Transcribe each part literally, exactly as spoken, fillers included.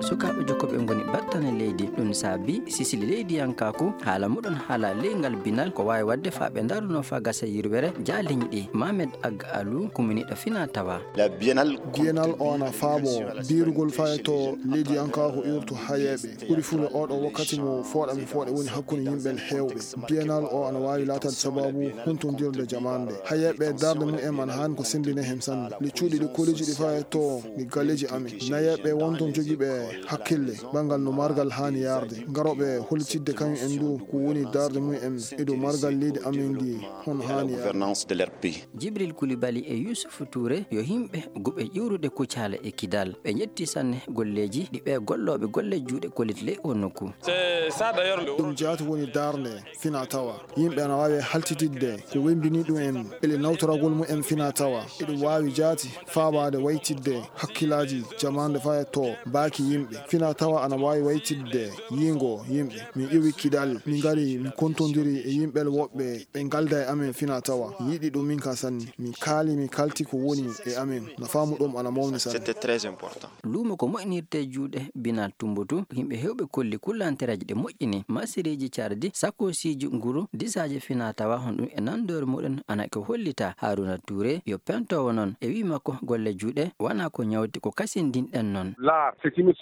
Sukaaɓe jokkooɓe ngoni battane leydi. Ɗum saabi sisili leydiyankaaku haala muɗon haala ley ngal binal ko waawi waɗde faa ɓe ndarunoo faa gasa yirwere jaaliñ ɗi. Mamed Ag Alu, kuminiiɗo fina tawa. Biennale o ana faabo diirugol faa e to leydiyankaaku iwrtu hayeeɓe. Ɓuri fuɗde oɗo wakkati mo fooɗa mi fooɗe woni hakkunde yimɓe heewɓe. Biennale o ana waawi laataade sabaabu huntondirde jamaande. Hayeeɓe darnde mum en ana haani ko semmbinee heen sanne. Nde cuuɗi ɗi koliiji ɗi faa e to mi galleeji amen. Nayeeɓe won toon jogiiɓe hakkille banngal no margal haani yaarde. Ngarooɓe hollitidde kañum en du ko woni darnde mum en e dow margal leydi amen ndi hono haani yaarde. Jibril Kulibali e Yuusufu Tuure yo yimɓe guɓe ƴiwrude Kucaala e Kidal. Ɓe njetti sanne golleeji ɗi ɓee gollooɓe golle juuɗe kollit ley oo nokku. Ɗum jaati woni darnde fina tawa. Yimɓe ana waawi haltididde ko wemmbini ɗum en ele nawtoragol mum en fina tawa. Eɗum waawi jaati faabaade waytidde hakkillaaji jamaande faa e to baaki yimɓe. Fina tawa ana waawi waytidde yiingo yimɓe. Min iwi Kidal, min ngari, min kontondiri e yimɓe woɓɓe, ɓe ngalda e amen fina tawa. Mi yiɗi ɗum min ka sanne. Min kaali, min kalti ko woni e amen. Nafaamu ɗum ana mawni sanne. Luumo ko moƴƴinirtee juuɗe Binal Tumbatu, yimɓe heewɓe kolli kullantereeji ɗe moƴƴini, masireeji cardi, sakoosiiji nguru, disaaji fina tawa, hono ɗum e nandoore muɗum ana ko hollita. Haruna Touré yo pentoowo noon e wii makko golle juuɗe wonaa ko ñawti ko kasindinɗen noon.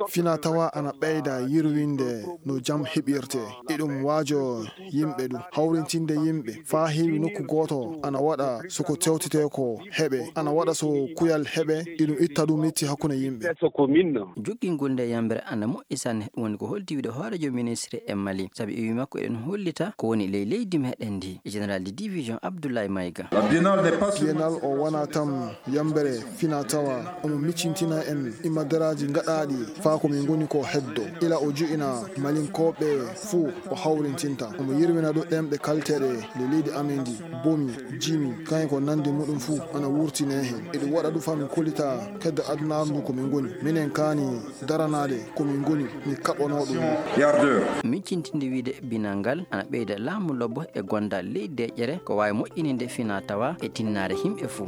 Fina tawa ana ɓeyda yirwinde no jam heɓirtee. Eɗum waajo yimɓe ɗum, hawrintinde yimɓe faa heewi nokku gooto ana waɗa so ko tewtetee ko heɓe, ana waɗa so kuyal heɓe, eɗum itta ɗum metti hakkunde yimɓe. Jokkingol nde yammbere ana moƴƴi sanne, ɗum woni ko holti wiide hooreejo ministre e Mali, sabi e wii makko eɗen hollita ko woni ley leydi meɗen ndi. Général de division Abdoulaye Maïga. Biennale o wonaa tan yammbere fina tawa, omo miccintina en immadaraaji gaɗaaɗi faa ko min ngoni ko heddo. Ila o ju'ina Malinkooɓe fuu o hawrintinta. Omo yirwina ɗo ɗemɗe kalteeɗe nde leydi amen ndi, bomi, jimi, kañum ko nanndi muɗum fuu ana wurtine heen. Eɗum waɗa ɗum faa min kollita keddo adunaaru ndu ko min ngoni. Minen kaani daranaade ko min ngoni, min kaɓɓanoo ɗum. Miccintinde wiide binal ngal ana ɓeyda laamu lobbo e gondal ley deƴƴere ko waawi moƴƴininde fina tawa e tinnaare yimɓe fuu.